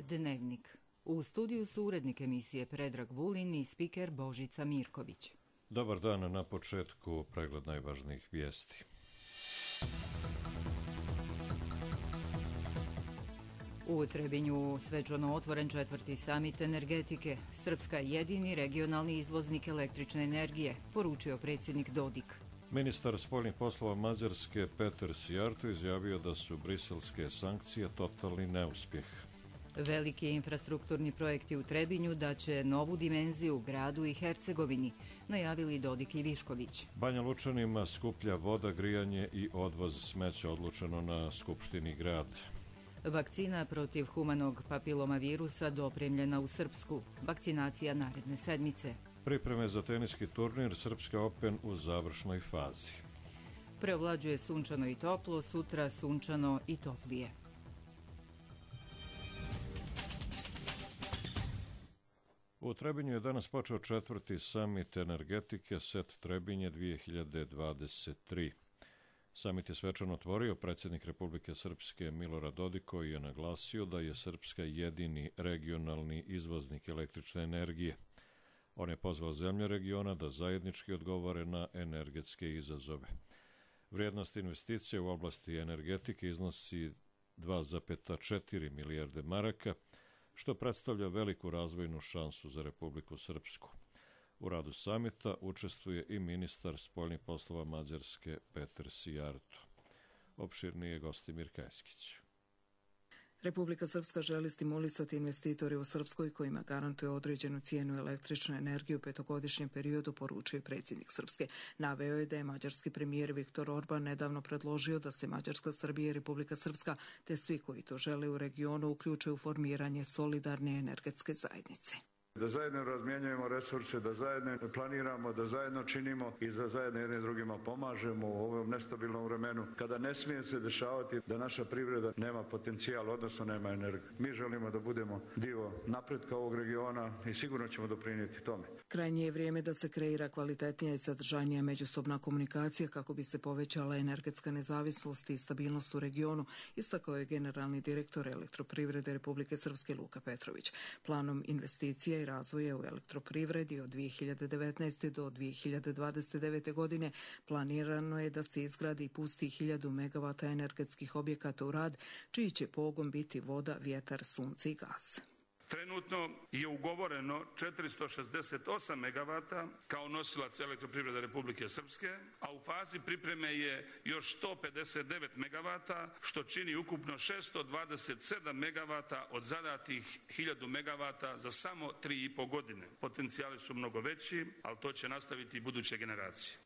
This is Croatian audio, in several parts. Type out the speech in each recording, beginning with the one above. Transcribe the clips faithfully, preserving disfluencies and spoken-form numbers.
Dnevnik. U studiju su urednik emisije Predrag Vulin i spiker Božica Mirković. Dobar dan, na početku pregled najvažnijih vijesti. U Trebinju svečano otvoren četvrti samit energetike. Srpska je jedini regionalni izvoznik električne energije, poručio predsjednik Dodik. Ministar spoljnih poslova Mađarske Petar Sijarto izjavio da su briselske sankcije totalni neuspjeh. Veliki infrastrukturni projekti u Trebinju daće novu dimenziju gradu i Hercegovini, najavili Dodik i Višković. Banja Lučanima skuplja voda, grijanje i odvoz smeća odlučeno na Skupštini grad. Vakcina protiv humanog papiloma virusa dopremljena u Srpsku. Vakcinacija naredne sedmice. Pripreme za teniski turnir Srpska Open u završnoj fazi. Preovlađuje sunčano i toplo, sutra sunčano i toplije. U Trebinju je danas počeo četvrti samit energetike Set Trebinje dvije hiljade dvadeset tri. Samit je svečano otvorio predsjednik Republike Srpske Milorad Dodik, koji je naglasio da je Srpska jedini regionalni izvoznik električne energije. On je pozvao zemlje regiona da zajednički odgovore na energetske izazove. Vrijednost investicije u oblasti energetike iznosi dva zarez četiri milijarde maraka, što predstavlja veliku razvojnu šansu za Republiku Srpsku. U radu samita učestvuje i ministar spoljnih poslova Mađarske Petar Sijarto. Opširniji je Gostimir Kajskić. Republika Srpska želi stimulisati investitore u Srpskoj kojima garantuje određenu cijenu električne energije u petogodišnjem periodu, poručuje predsjednik Srpske. Naveo je da je mađarski premijer Viktor Orban nedavno predložio da se Mađarska, Srbija i Republika Srpska te svi koji to žele u regionu uključe u formiranje solidarne energetske zajednice. Da zajedno razmjenjujemo resurse, da zajedno planiramo, da zajedno činimo i da zajedno jedni drugima pomažemo u ovom nestabilnom vremenu, kada ne smije se dešavati da naša privreda nema potencijal, odnosno nema energiju. Mi želimo da budemo dio napretka ovog regiona i sigurno ćemo doprinijeti tome. Krajnje je vrijeme da se kreira kvalitetnija i sadržajnija međusobna komunikacija kako bi se povećala energetska nezavisnost i stabilnost u regionu, istakao je generalni direktor Elektroprivrede Republike Srpske Luka Petrović. Planom investicija i razvoja u elektroprivredi od dvije hiljade devetnaeste. do dvije hiljade dvadeset devete. godine planirano je da se izgradi i pusti hiljadu megavata energetskih objekata u rad, čiji će pogon biti voda, vjetar, sunce i gas. Trenutno je ugovoreno četiristo šezdeset osam megavata kao nosilac Elektroprivrede Republike Srpske, a u fazi pripreme je još sto pedeset devet megavata, što čini ukupno šesto dvadeset sedam megavata od zadatih hiljadu megavata za samo tri i po godine. Potencijali su mnogo veći, ali to će nastaviti i buduće generacije.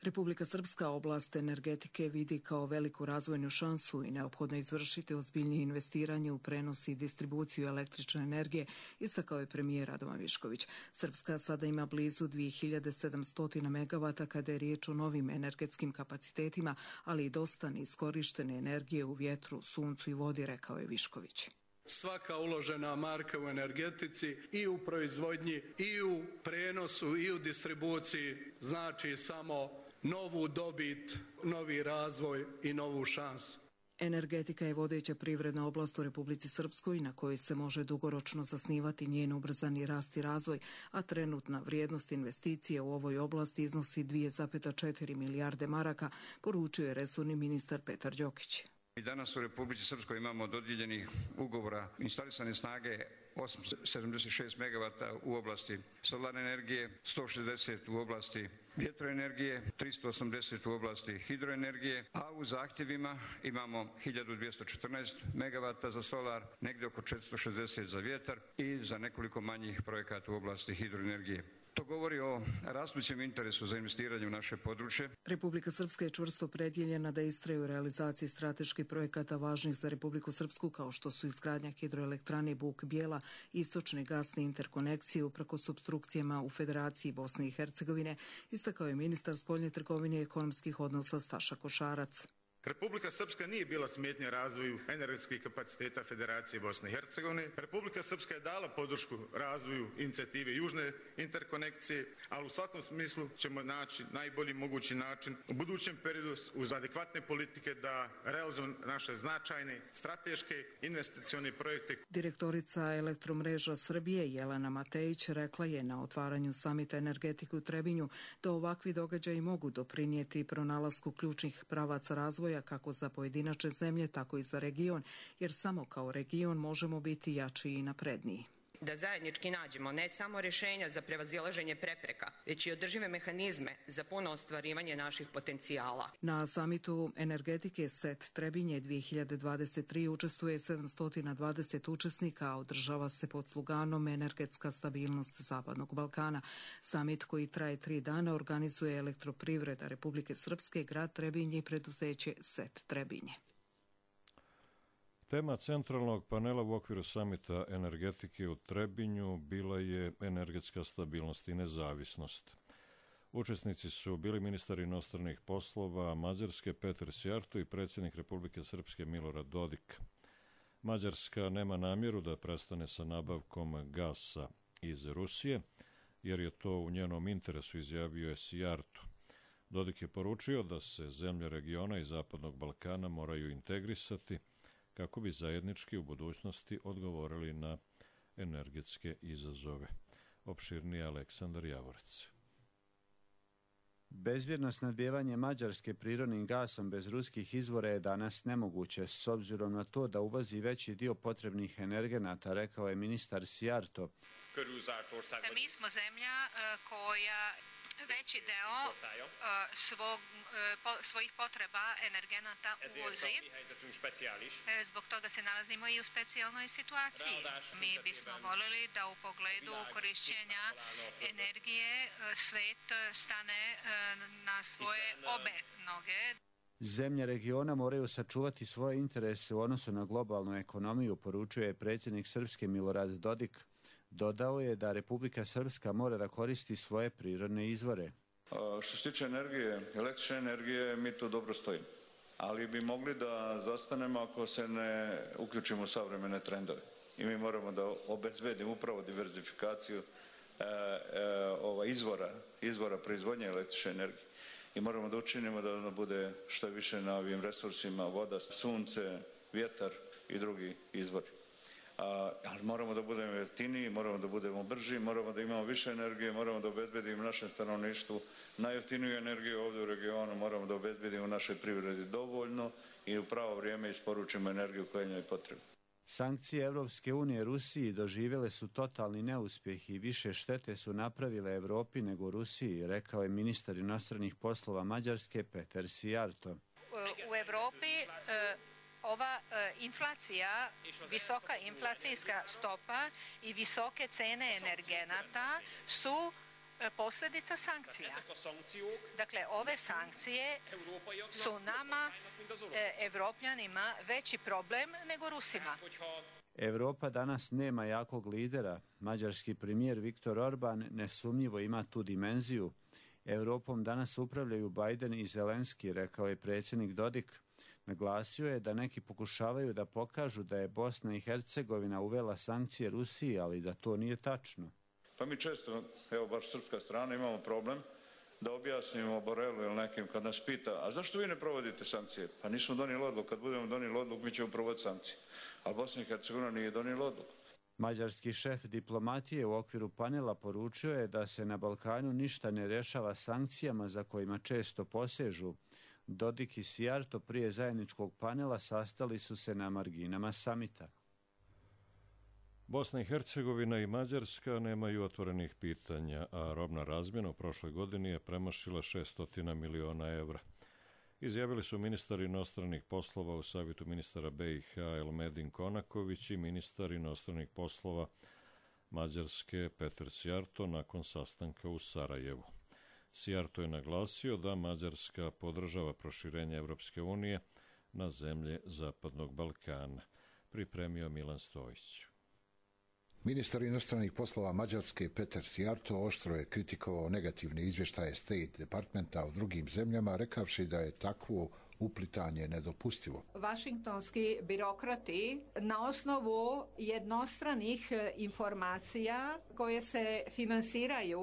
Republika Srpska oblast energetike vidi kao veliku razvojnu šansu i neophodno izvršiti ozbiljnije investiranje u prenos i distribuciju električne energije, istakao je premijer Radovan Višković. Srpska sada ima blizu dvije hiljade sedamsto megavata kada je riječ o novim energetskim kapacitetima, ali i dosta neiskorištene energije u vjetru, suncu i vodi, rekao je Višković. Svaka uložena marka u energetici i u proizvodnji i u prenosu i u distribuciji znači samo novu dobit, novi razvoj i novu šansu. Energetika je vodeća privredna oblast u Republici Srpskoj na kojoj se može dugoročno zasnivati njen ubrzani rast i razvoj, a trenutna vrijednost investicije u ovoj oblasti iznosi dva zarez četiri milijarde maraka, poručio je resorni ministar Petar Đokić. I danas u Republici Srpskoj imamo dodijeljenih ugovora instalisane snage osamsto sedamdeset šest megavata u oblasti solarne energije, sto šezdeset u oblasti vjetroenergije, tristo osamdeset u oblasti hidroenergije, a u zahtjevima imamo hiljadu dvjesto četrnaest megavata za solar, negdje oko četiristo šezdeset za vjetar i za nekoliko manjih projekata u oblasti hidroenergije. To govori o rastućem interesu za investiranje u naše područje. Republika Srpska je čvrsto opredjeljena da istraje u realizaciji strateških projekata važnih za Republiku Srpsku, kao što su izgradnja hidroelektrane Buk Bijela, istočne gasne interkonekcije uprkos opstrukcijama u Federaciji Bosne i Hercegovine, istakao je ministar spoljne trgovine i ekonomskih odnosa Staša Košarac. Republika Srpska nije bila smetnja razvoju energetskih kapaciteta Federacije Bosne i Hercegovine. Republika Srpska je dala podršku razvoju inicijative Južne interkonekcije, ali u svakom smislu ćemo naći najbolji mogući način u budućem periodu uz adekvatne politike da realizujemo naše značajne strateške investicione projekte. Direktorica Elektromreža Srbije Jelena Matejić rekla je na otvaranju samita energetike u Trebinju da ovakvi događaji mogu doprinijeti pronalasku ključnih pravaca razvoja kako za pojedinačne zemlje, tako i za region, jer samo kao region možemo biti jači i napredniji. Da zajednički nađemo ne samo rješenja za prevazilaženje prepreka, već i održive mehanizme za puno ostvarivanje naših potencijala. Na samitu energetike S E T Trebinje dvije hiljade dvadeset tri učestvuje sedamsto dvadeset učesnika, a održava se pod sloganom Energetska stabilnost Zapadnog Balkana. Samit koji traje tri dana organizuje Elektroprivreda Republike Srpske, grad Trebinje i preduzeće S E T Trebinje. Tema centralnog panela u okviru samita energetike u Trebinju bila je energetska stabilnost i nezavisnost. Učesnici su bili ministar inostranih poslova Mađarske Peter Sijarto i predsjednik Republike Srpske Milorad Dodik. Mađarska nema namjeru da prestane sa nabavkom gasa iz Rusije, jer je to u njenom interesu, izjavio je Sijarto. Dodik je poručio da se zemlje regiona i Zapadnog Balkana moraju integrisati kako bi zajednički u budućnosti odgovorili na energetske izazove. Opširnije Aleksandar Javorec. Bezbjedno snabdijevanje Mađarske prirodnim gasom bez ruskih izvora je danas nemoguće, s obzirom na to da uvozi veći dio potrebnih energenata, rekao je ministar Sijarto. Mi smo zemlja koja veći deo svog, svojih potreba energenata uvozi. Zbog toga se nalazimo i u specijalnoj situaciji. Mi bismo voljeli da u pogledu korišćenja energije svet stane na svoje obe noge. Zemlje regiona moraju sačuvati svoje interese u odnosu na globalnu ekonomiju, poručuje je predsjednik Srpske Milorad Dodik. Dodao je da Republika Srpska mora da koristi svoje prirodne izvore. A, što se tiče energije, električne energije, mi tu dobro stojimo. Ali bi mogli da zastanemo ako se ne uključimo u savremene trendove. I mi moramo da obezbedimo upravo diverzifikaciju e, e, ova izvora, izvora proizvodnje električne energije. I moramo da učinimo da ono bude što više na ovim resursima, voda, sunce, vjetar i drugi izvori. A, ali moramo da budemo jeftiniji, moramo da budemo brži, moramo da imamo više energije, moramo da obezbedimo našem stanovništvu najjeftiniju energiju ovdje u regionu, moramo da obezbedimo našoj privredi dovoljno i u pravo vrijeme isporučimo energiju koja njoj je potrebna. Sankcije Evropske unije Rusiji doživjele su totalni neuspjeh i više štete su napravile Evropi nego Rusiji, rekao je ministar inostranih poslova Mađarske Peter Sijarto. U Evropi ova inflacija, visoka inflacijska stopa i visoke cene energenata su posljedica sankcija. Dakle, ove sankcije su nama, Evropljanima, veći problem nego Rusima. Evropa danas nema jakog lidera. Mađarski premijer Viktor Orban nesumnjivo ima tu dimenziju. Evropom danas upravljaju Biden i Zelenski, rekao je predsjednik Dodik. Naglasio je da neki pokušavaju da pokažu da je Bosna i Hercegovina uvela sankcije Rusiji, ali da to nije tačno. Pa mi često, evo baš srpska strana, imamo problem da objasnimo Borelu ili nekim kad nas pita, a zašto vi ne provodite sankcije? Pa nismo donijeli odluku, kad budemo donijeli odluku mi ćemo provoditi sankcije. A Bosna i Hercegovina nije donijela odluku. Mađarski šef diplomatije u okviru panela poručio je da se na Balkanu ništa ne rješava sankcijama za kojima često posežu. Dodik i Sijarto prije zajedničkog panela sastali su se na marginama samita. Bosna i Hercegovina i Mađarska nemaju otvorenih pitanja, a robna razmjena u prošloj godini je premašila šest miliona evra. Izjavili su ministar inostranih poslova u savjetu ministara B i H Elmedin Konaković i ministar inostranih poslova Mađarske Peter Sijarto nakon sastanka u Sarajevu. Sijarto je naglasio da Mađarska podržava proširenje Evropske unije na zemlje Zapadnog Balkana. Pripremio Milan Stojić. Ministar inostranih poslova Mađarske Peter Sijarto oštro je kritikovao negativne izvještaje State Departmenta u drugim zemljama, rekavši da je takvo uplitanje nedopustivo. Vašingtonski birokrati na osnovu jednostranih informacija koje se finansiraju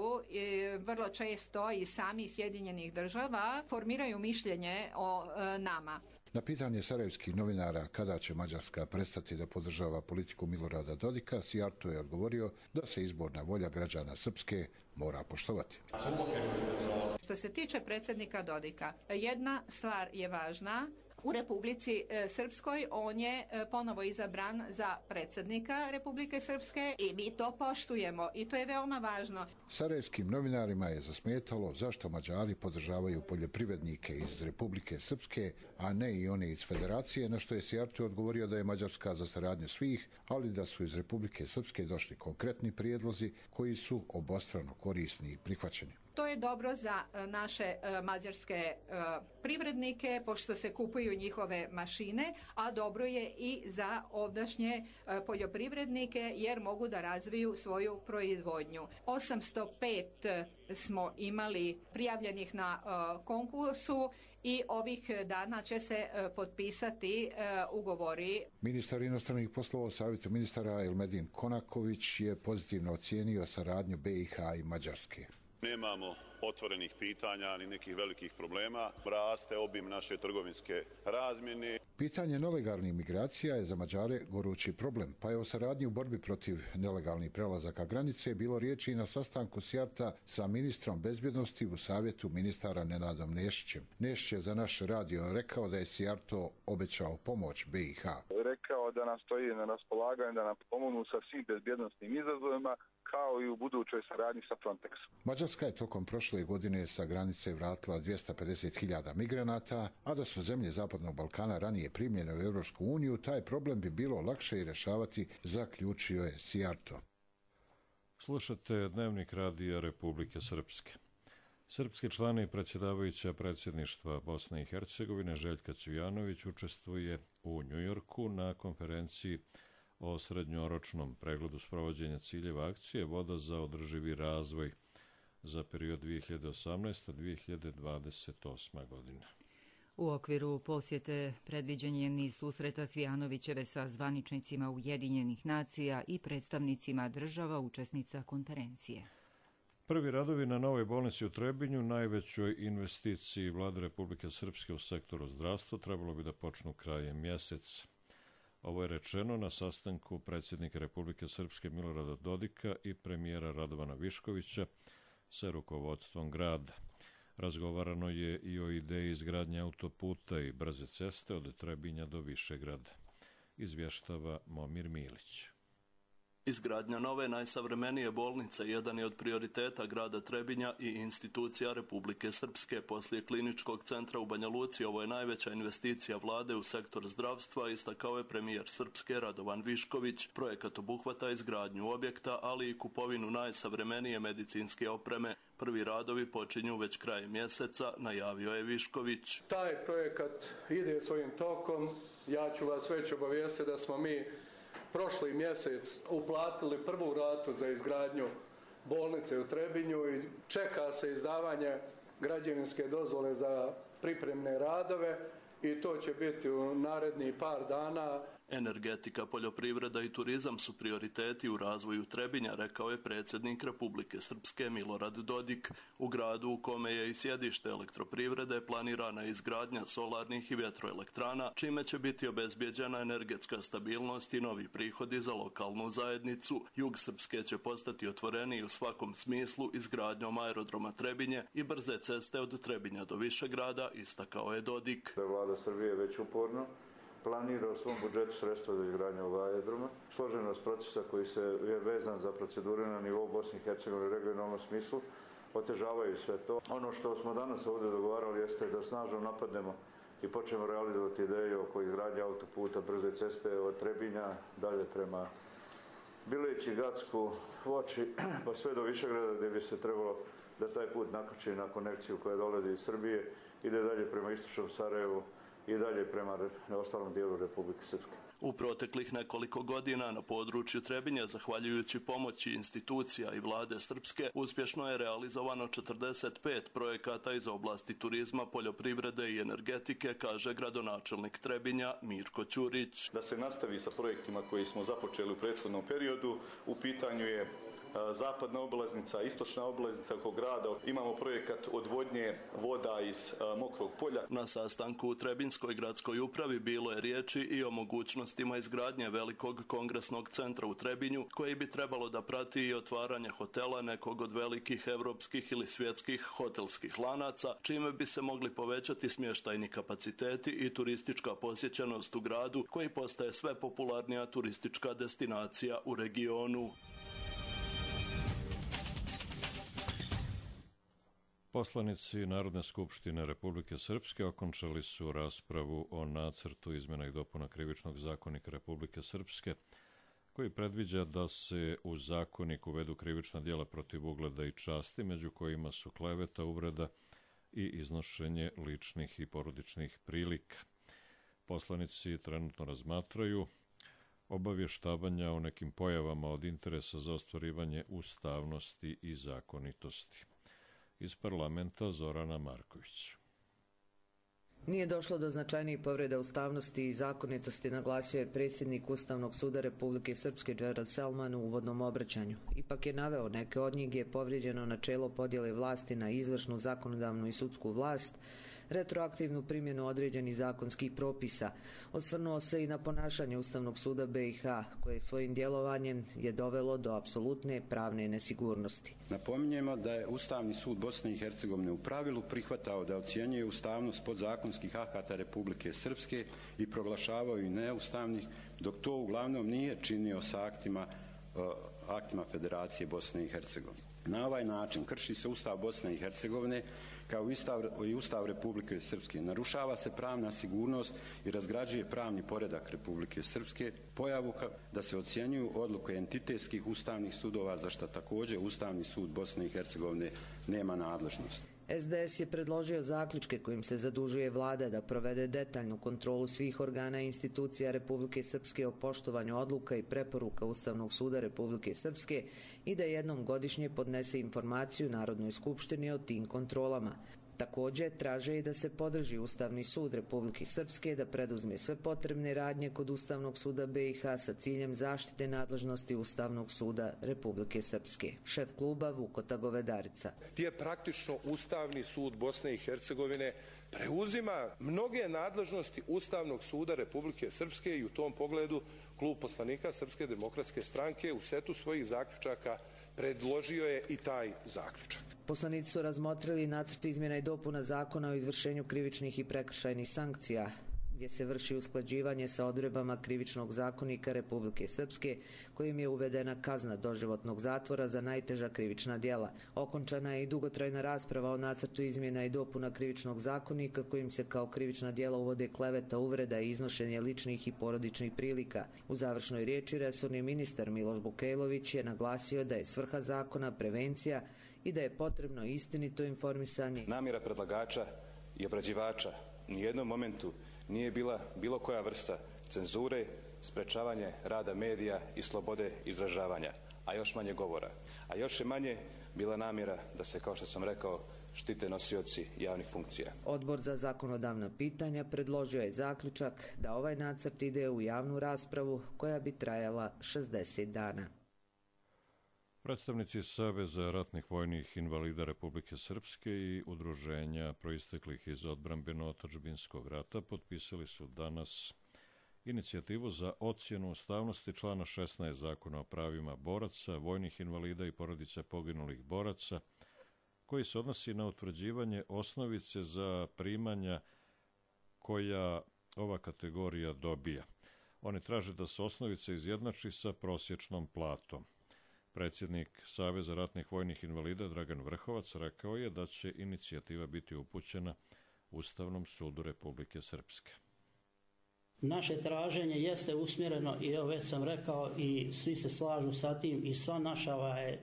vrlo često i sami Sjedinjenih država formiraju mišljenje o nama. Na pitanje sarajevskih novinara kada će Mađarska prestati da podržava politiku Milorada Dodika, Sijarto je odgovorio da se izborna volja građana Srpske mora poštovati. Što se tiče predsjednika Dodika, jedna stvar je važna. U Republici Srpskoj on je ponovo izabran za predsjednika Republike Srpske i mi to poštujemo i to je veoma važno. Sarajevskim novinarima je zasmetalo zašto Mađari podržavaju poljoprivrednike iz Republike Srpske, a ne i one iz Federacije, na što je Sijarto odgovorio da je Mađarska za saradnju svih, ali da su iz Republike Srpske došli konkretni prijedlozi koji su obostrano korisni i prihvaćeni. To je dobro za naše mađarske privrednike, pošto se kupuju njihove mašine, a dobro je i za ovdašnje poljoprivrednike, jer mogu da razviju svoju proizvodnju. osamsto pet smo imali prijavljenih na konkursu i ovih dana će se potpisati ugovori. Ministar inostranih poslova u Savjetu ministara Elmedin Konaković je pozitivno ocijenio saradnju B i H i Mađarske. Nemamo otvorenih pitanja ni nekih velikih problema. Raste obim naše trgovinske razmjene. Pitanje nelegalnih migracija je za Mađare gorući problem, pa je o saradnji u borbi protiv nelegalnih prelazaka granice bilo riječi i na sastanku Sijarta sa ministrom bezbjednosti u Savjetu ministara Nenadom Nešićem. Nešić je za naš radio rekao da je Sijarto obećao pomoć B i H. Rekao da nam stoji na raspolaganju da nam pomognu sa svim bezbjednostnim izazovima, kao i u budućoj saradnji sa Frontexom. Mađarska je tokom prošle godine sa granice vratila dvjesto pedeset hiljada migranata, a da su zemlje Zapadnog Balkana ranije primljene u Europsku uniju, taj problem bi bilo lakše i rješavati, zaključio je Sijarto. Slušate Dnevnik radija Republike Srpske. Srpski član i predsjedavajuća predsjedništva Bosne i Hercegovine Željka Cvijanović učestvuje u Njujorku na konferenciji o srednjoročnom pregledu sprovođenja ciljeva akcije Voda za održivi razvoj za period dvije hiljade osamnaesta do dvije hiljade dvadeset osma. godina. U okviru posjete predviđen je niz susreta Cvijanovićeve sa zvaničnicima Ujedinjenih nacija i predstavnicima država učesnica konferencije. Prvi radovi na novoj bolnici u Trebinju, najvećoj investiciji Vlade Republike Srpske u sektoru zdravstva, trebalo bi da počnu krajem mjeseca. Ovo je rečeno na sastanku predsjednika Republike Srpske Milorada Dodika i premijera Radovana Viškovića sa rukovodstvom grada. Razgovarano je i o ideji izgradnje autoputa i brze ceste od Trebinja do Višegrada. Izvještava Momir Milić. Izgradnja nove najsavremenije bolnice jedan je od prioriteta grada Trebinja i institucija Republike Srpske. Poslije kliničkog centra u Banja Luci ovo je najveća investicija vlade u sektor zdravstva, istakao je premijer Srpske Radovan Višković. Projekat obuhvata izgradnju objekta, ali i kupovinu najsavremenije medicinske opreme. Prvi radovi počinju već krajem mjeseca, najavio je Višković. Taj projekat ide svojim tokom. Ja ću vas već obavijestiti da smo mi prošli mjesec uplatili prvu ratu za izgradnju bolnice u Trebinju i čeka se izdavanje građevinske dozvole za pripremne radove i to će biti u narednih par dana. Energetika, poljoprivreda i turizam su prioriteti u razvoju Trebinja, rekao je predsjednik Republike Srpske Milorad Dodik. U gradu u kome je i sjedište elektroprivrede planirana izgradnja solarnih i vjetroelektrana, čime će biti obezbjeđena energetska stabilnost i novi prihodi za lokalnu zajednicu. Jug Srpske će postati otvoreniji u svakom smislu izgradnjom aerodroma Trebinje i brze ceste od Trebinja do Višegrada, istakao je Dodik. Vlada Srbije već uporno planira u svom budžetu sredstva za izgradnju ovog aerodroma. Složenost procesa koji se je vezan za procedure na nivou Bosne i Hercegovine u regionalnom smislu otežavaju sve to. Ono što smo danas ovdje dogovarali jeste da snažno napadnemo i počnemo realizovati ideju oko izgradnje autoputa, brze ceste od Trebinja dalje prema Bileći, Gacku, Voći, pa sve do Višegrada, gdje bi se trebalo da taj put nakači na konekciju koja dolazi iz Srbije, ide dalje prema istočnom Sarajevu i dalje prema ostalom dijelu Republike Srpske. U proteklih nekoliko godina na području Trebinja, zahvaljujući pomoći institucija i vlade Srpske, uspješno je realizovano četrdeset pet projekata iz oblasti turizma, poljoprivrede i energetike, kaže gradonačelnik Trebinja Mirko Ćurić. Da se nastavi sa projektima koji smo započeli u prethodnom periodu. U pitanju je zapadna obilaznica, istočna obilaznica oko grada. Imamo projekat odvodnje voda iz Mokrog polja. Na sastanku u Trebinjskoj gradskoj upravi bilo je riječi i o mogućnostima izgradnje velikog kongresnog centra u Trebinju, koji bi trebalo da prati i otvaranje hotela nekog od velikih evropskih ili svjetskih hotelskih lanaca, čime bi se mogli povećati smještajni kapaciteti i turistička posjećenost u gradu, koji postaje sve popularnija turistička destinacija u regionu. Poslanici Narodne skupštine Republike Srpske okončali su raspravu o nacrtu izmjena i dopuna Krivičnog zakonika Republike Srpske, koji predviđa da se u zakonik uvedu krivična djela protiv ugleda i časti, među kojima su kleveta, uvreda i iznošenje ličnih i porodičnih prilika. Poslanici trenutno razmatraju obavještavanja o nekim pojavama od interesa za ostvarivanje ustavnosti i zakonitosti. Iz parlamenta Zorana Marković. Nije došlo do značajnijih povreda ustavnosti i zakonitosti, naglasio je predsjednik Ustavnog suda Republike Srpske Džerad Selman u uvodnom obraćanju. Ipak je naveo neke od njih je povrijeđeno načelo podjele vlasti na izvršnu, zakonodavnu i sudsku vlast, retroaktivnu primjenu određenih zakonskih propisa. Osvrnuo se i na ponašanje Ustavnog suda B i H, koje svojim djelovanjem je dovelo do apsolutne pravne nesigurnosti. Napominjemo da je Ustavni sud Bosne i Hercegovine u pravilu prihvatao da ocjenjuje ustavnost podzakonskih akata Republike Srpske i proglašavao ih neustavnih, dok to uglavnom nije činio sa aktima, aktima Federacije Bosne i Hercegovine. Na ovaj način krši se Ustav Bosne i Hercegovine kao i Ustav Republike Srpske. Narušava se pravna sigurnost i razgrađuje pravni poredak Republike Srpske, pojavu da se ocjenjuju odluke entitetskih ustavnih sudova, za što također Ustavni sud Bosne i Hercegovine nema nadležnost. S D S je predložio zaključke kojim se zadužuje vlada da provede detaljnu kontrolu svih organa i institucija Republike Srpske o poštovanju odluka i preporuka Ustavnog suda Republike Srpske i da jednom godišnje podnese informaciju Narodnoj skupštini o tim kontrolama. Također traže i da se podrži Ustavni sud Republike Srpske da preduzme sve potrebne radnje kod Ustavnog suda B i H sa ciljem zaštite nadležnosti Ustavnog suda Republike Srpske. Šef kluba Vukota Govedarica. Gdje praktično Ustavni sud Bosne i Hercegovine preuzima mnoge nadležnosti Ustavnog suda Republike Srpske i u tom pogledu klub poslanika Srpske demokratske stranke u setu svojih zaključaka predložio je i taj zaključak. Poslanici su razmotrili nacrt izmjena i dopuna zakona o izvršenju krivičnih i prekršajnih sankcija, gdje se vrši usklađivanje sa odredbama Krivičnog zakonika Republike Srpske, kojim je uvedena kazna doživotnog zatvora za najteža krivična djela. Okončana je i dugotrajna rasprava o nacrtu izmjena i dopuna Krivičnog zakonika, kojim se kao krivična djela uvode kleveta, uvreda i iznošenje ličnih i porodičnih prilika. U završnoj riječi resorni ministar Miloš Bukejlović je naglasio da je svrha zakona prevencija i da je potrebno istinito informisanje. Namjera predlagača i obrađivača u nijednom momentu nije bila bilo koja vrsta cenzure, sprečavanje rada medija i slobode izražavanja, a još manje govora. A još je manje bila namjera da se, kao što sam rekao, štite nosioci javnih funkcija. Odbor za zakonodavna pitanja predložio je zaključak da ovaj nacrt ide u javnu raspravu koja bi trajala šezdeset dana. Predstavnici Saveza ratnih vojnih invalida Republike Srpske i udruženja proisteklih iz odbrambeno-otadžbinskog rata potpisali su danas inicijativu za ocjenu ustavnosti člana šesnaest Zakona o pravima boraca, vojnih invalida i porodice poginulih boraca, koji se odnosi na utvrđivanje osnovice za primanja koja ova kategorija dobija. Oni traže da se osnovica izjednači sa prosječnom platom. Predsjednik Saveza ratnih vojnih invalida Dragan Vrhovac rekao je da će inicijativa biti upućena Ustavnom sudu Republike Srpske. Naše traženje jeste usmjereno, i evo već sam rekao, i svi se slažu sa tim, i sva naša, ovaj,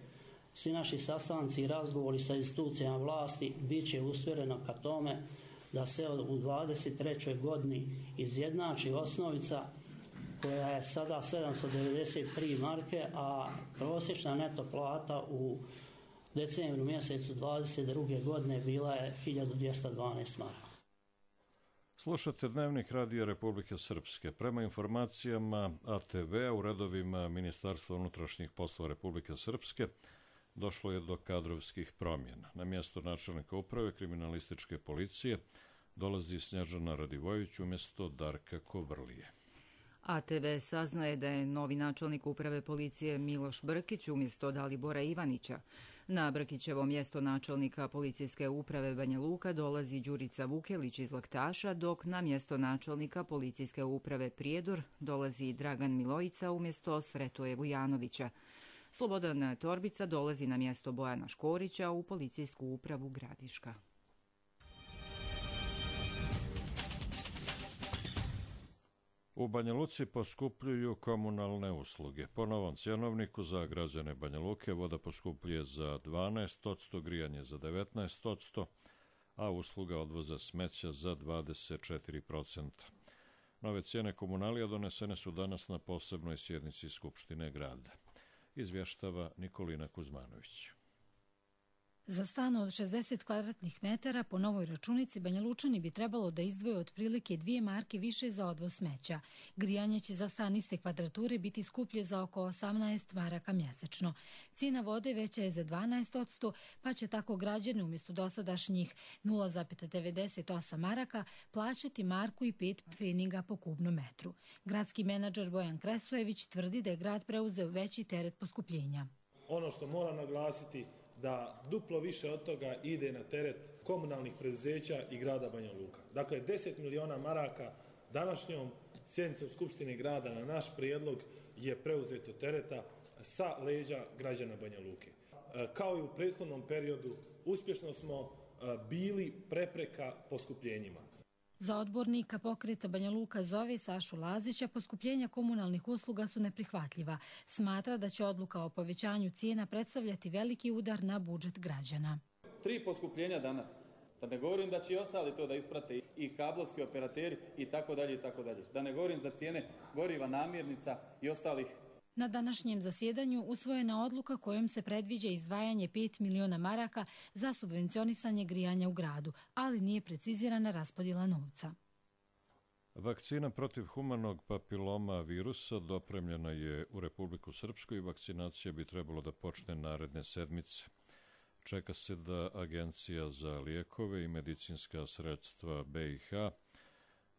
svi naši sastanci i razgovori sa institucijama vlasti bit će usmjereno ka tome da se u dvadeset trećoj godini izjednači osnovica koja je sada sedamsto devedeset tri marke, a prosječna neto plata u decembru mjesecu dvadeset druge godine bila je hiljadu dvjesto dvanaest maraka. Slušate Dnevnik Radija Republike Srpske. Prema informacijama A T V-a u redovima Ministarstva unutrašnjih poslova Republike Srpske došlo je do kadrovskih promjena. Na mjesto načelnika uprave kriminalističke policije dolazi Snježana Radivojević umjesto Darka Kovrlije. A T V saznaje da je novi načelnik uprave policije Miloš Brkić umjesto Dalibora Ivanića. Na Brkićevo mjesto načelnika policijske uprave Banja Luka dolazi Đurica Vukelić iz Laktaša, dok na mjesto načelnika policijske uprave Prijedor dolazi Dragan Milojica umjesto Sretoje Vujanovića. Slobodan Torbica dolazi na mjesto Bojana Škorića u policijsku upravu Gradiška. U Banja Luci poskupljuju komunalne usluge. Po novom cjenovniku za građane Banja Luke voda poskupljuje za dvanaest posto, grijanje za devetnaest posto, a usluga odvoza smeća za dvadeset četiri posto. Nove cijene komunalija donesene su danas na posebnoj sjednici Skupštine grada. Izvještava Nikolina Kuzmanović. Za stan od šezdeset kvadratnih metara po novoj računici Banjalučani bi trebalo da izdvoje otprilike dvije marke više za odvoz smeća. Grijanje će za stan iste kvadrature biti skuplje za oko osamnaest maraka mjesečno. Cijena vode veća je za dvanaest posto, pa će tako građani umjesto dosadašnjih nula zarez devedeset osam maraka plaćati marku i pet pfeniga po kubnom metru. Gradski menadžer Bojan Kresojević tvrdi da je grad preuzeo veći teret poskupljenja. Ono što mora naglasiti da duplo više od toga ide na teret komunalnih preduzeća i grada Banja Luka. Dakle, deset miliona maraka današnjom sjednicom Skupštine grada na naš prijedlog je preuzeto tereta sa leđa građana Banja Luke. Kao i u prethodnom periodu, uspješno smo bili prepreka poskupljenjima. Za odbornika pokreta Banja Luka zove Sašu Lazića poskupljenja komunalnih usluga su neprihvatljiva. Smatra da će odluka o povećanju cijena predstavljati veliki udar na budžet građana. Tri poskupljenja danas. Da ne govorim da će i ostali to da isprate i kablovski operateri i tako dalje i tako dalje. Da ne govorim za cijene goriva, namirnica i ostalih. Na današnjem zasjedanju usvojena odluka kojom se predviđa izdvajanje pet miliona maraka za subvencionisanje grijanja u gradu, ali nije precizirana raspodjela novca. Vakcina protiv humanog papiloma virusa dopremljena je u Republiku Srpsku i vakcinacija bi trebalo da počne naredne sedmice. Čeka se da Agencija za lijekove i medicinska sredstva B i H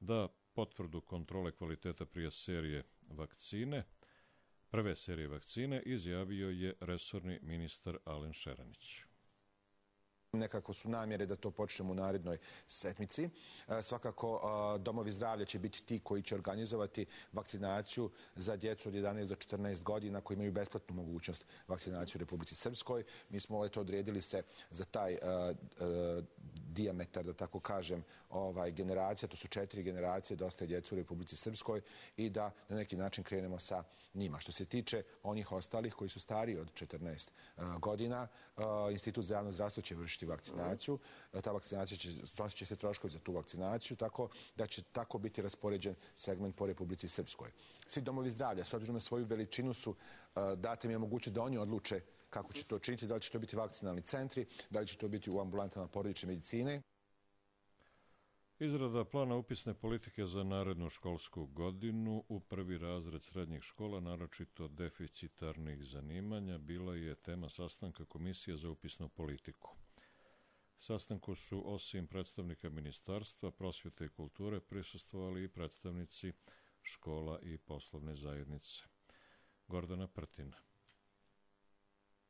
da potvrdu kontrole kvaliteta prije serije vakcine, prve serije vakcine, izjavio je resorni ministar Alen Šeranić. Nekako su namjere da to počnemo u narednoj sedmici. Svakako, domovi zdravlja će biti ti koji će organizovati vakcinaciju za djecu od jedanaest do četrnaest godina koji imaju besplatnu mogućnost vakcinacije u Republici Srpskoj. Mi smo eto odredili se za taj dijametar, da tako kažem, ovaj, generacija, to su četiri generacije, dosta je djeca u Republici Srpskoj i da na neki način krenemo sa njima. Što se tiče onih ostalih koji su stariji od četrnaest godina, Institut za javno zdravstvo će vršiti vakcinaciju. Ta vakcinacija će, snosit će se troškovi za tu vakcinaciju, tako da će tako biti raspoređen segment po Republici Srpskoj. Svi domovi zdravlja, s obzirom na svoju veličinu, su date mi je mogućnost da oni odluče kako će to činiti, da li će to biti vakcinalni centri, da li će to biti u ambulantama porodične medicine. Izrada plana upisne politike za narednu školsku godinu u prvi razred srednjih škola, naročito deficitarnih zanimanja, bila je tema sastanka Komisije za upisnu politiku. Sastanku su osim predstavnika Ministarstva prosvjete i kulture prisustvovali i predstavnici škola i poslovne zajednice. Gordana Prtina.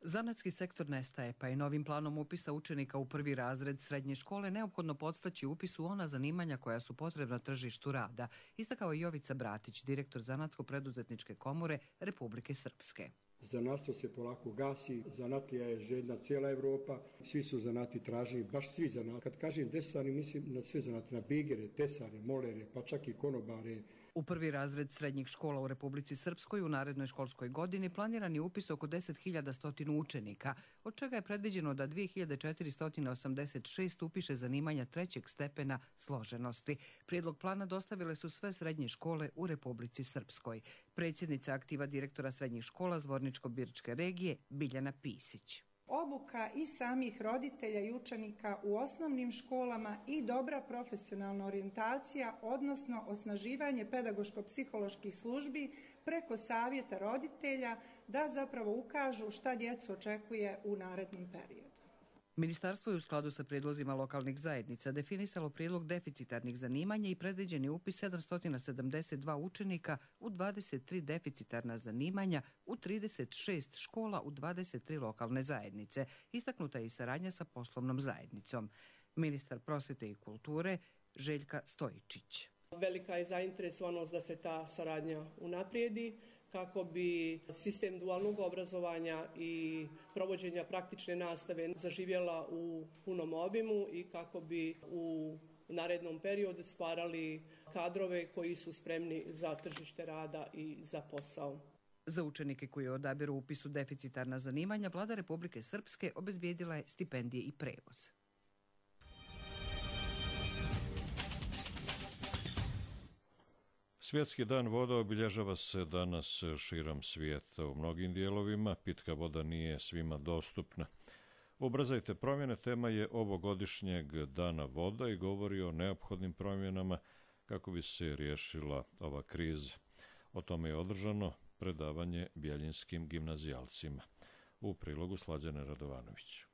Zanatski sektor nestaje, pa je novim planom upisa učenika u prvi razred srednje škole neophodno podstaći upis u ona zanimanja koja su potrebna tržištu rada, istakao je Jovica Bratić, direktor Zanatsko-preduzetničke komore Republike Srpske. Zanatstvo se polako gasi, zanatlija je željna cijela Evropa, svi su zanati tražili, baš svi zanati. Kad kažem desari, mislim na sve zanati, na bigere, tesare, molere, pa čak i konobare, U prvi razred srednjih škola u Republici Srpskoj u narednoj školskoj godini planiran je upis oko deset hiljada sto učenika, od čega je predviđeno da dve hiljade četiristo osamdeset šest upiše zanimanja trećeg stepena složenosti. Prijedlog plana dostavile su sve srednje škole u Republici Srpskoj. Predsjednica aktiva direktora srednjih škola Zvorničko-Birčke regije Biljana Pisić. Obuka i samih roditelja i učenika u osnovnim školama i dobra profesionalna orijentacija, odnosno osnaživanje pedagoško-psiholoških službi preko savjeta roditelja da zapravo ukažu šta djecu očekuje u narednom periodu. Ministarstvo je u skladu sa prijedlozima lokalnih zajednica definisalo prijedlog deficitarnih zanimanja i predviđeni upis sedamsto sedamdeset dva učenika u dvadeset tri deficitarna zanimanja u trideset šest škola u dvadeset tri lokalne zajednice. Istaknuta je i saradnja sa poslovnom zajednicom. Ministar prosvjete i kulture Željka Stojičić. Velika je zainteresovanost da se ta saradnja unaprijedi kako bi sistem dualnog obrazovanja i provođenja praktične nastave zaživjela u punom obimu i kako bi u narednom periodu stvarali kadrove koji su spremni za tržište rada i za posao. Za učenike koji odabiru upisu deficitarna zanimanja, Vlada Republike Srpske obezbijedila je stipendije i prevoz. Svjetski dan voda obilježava se danas širom svijeta. U mnogim dijelovima pitka voda nije svima dostupna. Ubrzajte promjene tema je ovogodišnjeg dana voda i govori o neophodnim promjenama kako bi se riješila ova kriza. O tome je održano predavanje bjeljinskim gimnazijalcima. U prilogu Slađane Radovanović.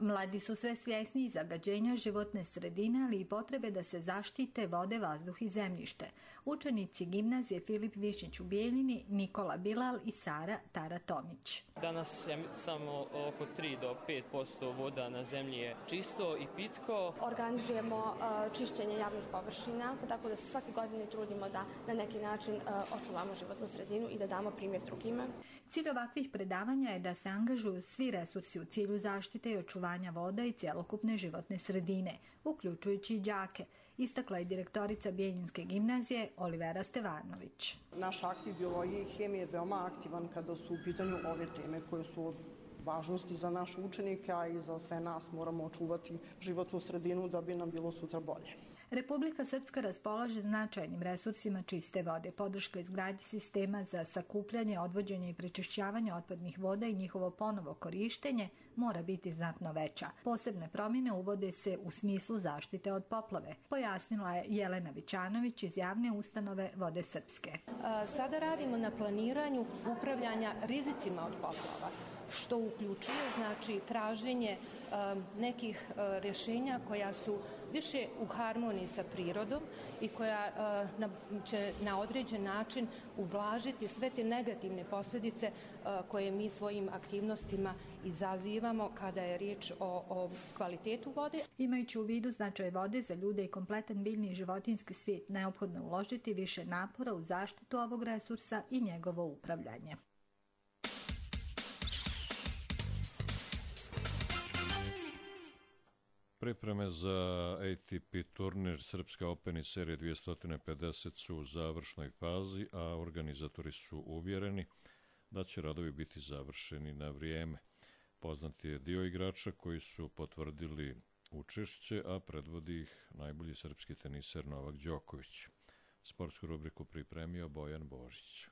Mladi su sve svjesniji zagađenja životne sredine, ali i potrebe da se zaštite vode, vazduh i zemljište. Učenici gimnazije Filip Višnjić u Bijeljini, Nikola Bilal i Sara Tara Tomić. Danas je samo oko tri do pet posto voda na zemlji je čisto i pitko. Organizujemo uh, čišćenje javnih površina, tako da se svake godine trudimo da na neki način uh, očuvamo životnu sredinu i da damo primjer drugima. Cilj ovakvih predavanja je da se angažuju svi resursi u cilju zaštite i očuvanja voda i cjelokupne životne sredine, uključujući i đake, istakla je direktorica Bijeljinske gimnazije Olivera Stevanović. Naš aktiv biologije i hemije je veoma aktivan kada su u pitanju ove teme koje su od važnosti za naše učenike, a i za sve nas. Moramo očuvati životnu sredinu da bi nam bilo sutra bolje. Republika Srpska raspolaže značajnim resursima čiste vode. Podrška izgradnji sistema za sakupljanje, odvođenje i prečišćavanje otpadnih voda i njihovo ponovo korištenje mora biti znatno veća. Posebne promjene uvode se u smislu zaštite od poplave, pojasnila je Jelena Vićanović iz javne ustanove Vode Srpske. Sada radimo na planiranju upravljanja rizicima od poplava, što uključuje znači traženje um, nekih uh, rješenja koja su više u harmoniji sa prirodom i koja uh, na, će na određen način ublažiti sve te negativne posljedice uh, koje mi svojim aktivnostima izazivamo kada je riječ o, o kvalitetu vode. Imajući u vidu značaj vode za ljude i kompletan biljni i životinjski svijet, neophodno uložiti više napora u zaštitu ovog resursa i njegovo upravljanje. Pripreme za A T P turnir Srpska Open iz serije dvjesto pedeset su u završnoj fazi, a organizatori su uvjereni da će radovi biti završeni na vrijeme. Poznat je dio igrača koji su potvrdili učešće, a predvodi ih najbolji srpski teniser Novak Đoković. Sportsku rubriku pripremio Bojan Božić.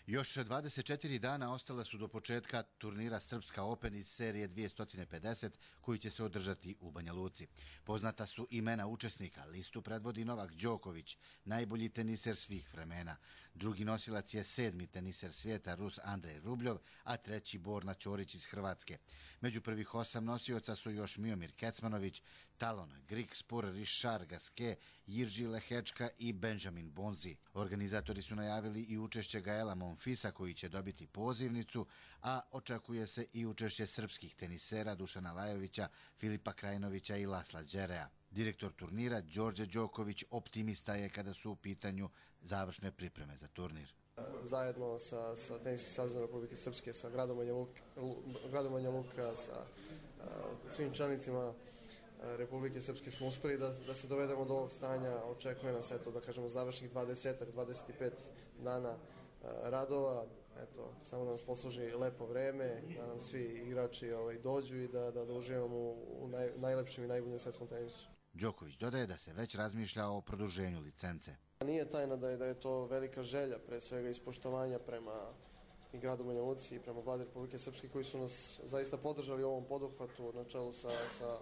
Još dvadeset četiri dana ostala su do početka turnira Srpska Open iz serije dvjesto pedeset koji će se održati u Banja Luci. Poznata su imena učesnika, listu predvodi Novak Đoković, najbolji teniser svih vremena. Drugi nosilac je sedmi teniser svijeta Rus Andrej Rubljov, a treći Borna Ćorić iz Hrvatske. Među prvih osam nosioca su još Miomir Kecmanović, Talon Grigspur, Richard Gasquet, Jirži Lehečka i Benjamin Bonzi. Organizatori su najavili i učešće Gaela Monfisa koji će dobiti pozivnicu, a očekuje se i učešće srpskih tenisera Dušana Lajovića, Filipa Krajinovića i Lasla Đerea. Direktor turnira Đorđe Đoković optimista je kada su u pitanju završne pripreme za turnir. Zajedno sa, sa Teniskim savezom Republike Srpske, sa gradom Banja Luka, gradom Banja Luka, sa uh, svim čelnicima Republike Srpske smo uspeli da, da se dovedemo do ovog stanja. Očekuje nas, eto, da kažemo, završnih dvadeset dvadeset pet dana radova. Eto, samo da nas posluži lepo vreme, da nam svi igrači ovaj, dođu i da, da, da uživamo u naj, najlepšem i najboljem svetskom tenisu. Đoković dodaje da se već razmišlja o produženju licence. Nije tajna da je, da je to velika želja, pre svega ispoštovanja prema i gradu Banja Luci i prema vladi Republike Srpske, koji su nas zaista podržali u ovom poduhvatu na čelu sa, sa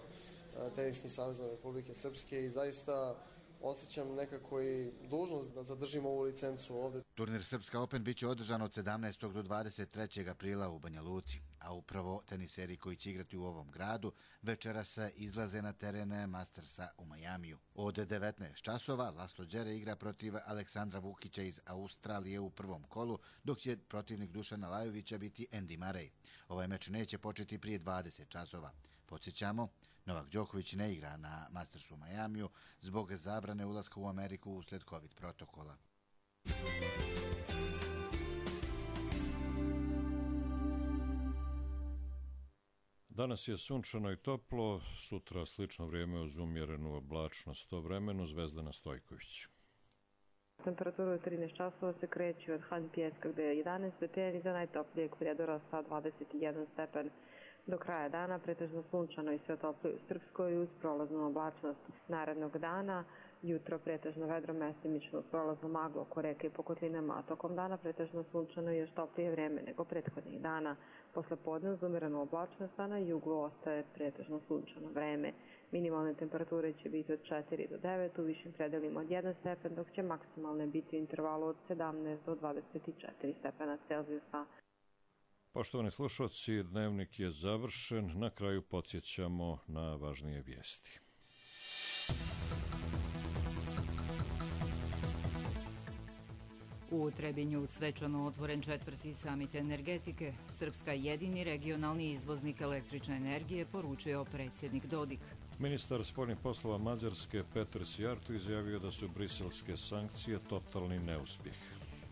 Teniskim savezom Republike Srpske i zaista osjećam nekako i dužnost da zadržimo ovu licencu ovde. Turnir Srpska Open biće održan od sedamnaestog do dvadeset trećeg aprila u Banja Luci, a upravo teniseri koji će igrati u ovom gradu večeras izlaze na terene Mastersa u Majamiju. Od devetnaest časova Laslo Đere igra protiv Aleksandra Vukića iz Australije u prvom kolu, dok će protivnik Dušana Lajovića biti Andy Murray. Ovaj meč neće početi prije dvadeset časova. Podsjećamo, Novak Đoković ne igra na Mastersu u Majamiju zbog zabrane ulaska u Ameriku usled COVID protokola. Danas je sunčano i toplo, sutra slično vrijeme uz umjerenu oblačnost o vremenu. Zvezdana Stojković. Temperatura u trinaest časova se kreće od hladnih pijeska gde je jedanaest stepeni, za najtoplijeg koridora sa dvadeset jedan stepen. Do kraja dana pretežno sunčano i sve toplije u Srpskoj uz prolaznu oblačnost. Narednog dana jutro pretežno vedro, mestimično uz prolaznu maglu oko reke i po kotlinama, a tokom dana pretežno sunčano i još toplije vreme nego prethodnih dana. Posle podne uz umerenu oblačnost, a na jugu ostaje pretežno sunčano vreme. Minimalne temperature će biti od četiri do devet, u višim predelima od jedan stepen, dok će maksimalne biti u intervalu od sedamnaest do dvadeset četiri stepena Celzijusa. Poštovani slušalci, dnevnik je završen. Na kraju podsjećamo na važnije vijesti. U Trebinju svečano otvoren četvrti samit energetike. Srpska jedini regionalni izvoznik električne energije, poručio predsjednik Dodik. Ministar spoljnih poslova Mađarske Petar Sijarto izjavio da su briselske sankcije totalni neuspjeh.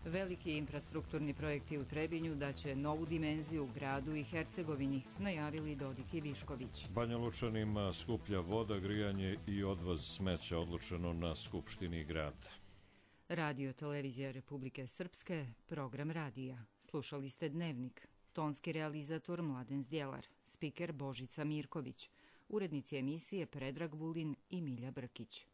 Veliki infrastrukturni projekti u Trebinju daće novu dimenziju gradu i Hercegovini, najavili Dodik i Višković. Banja Lučanima skuplja voda, grijanje i odvoz smeća odlučeno na Skupštini grada. Radio Televizija Republike Srpske, program radija. Slušali ste Dnevnik. Tonski realizator Mladen Zdjelar, spiker Božica Mirković, urednici emisije Predrag Vulin i Milja Brkić.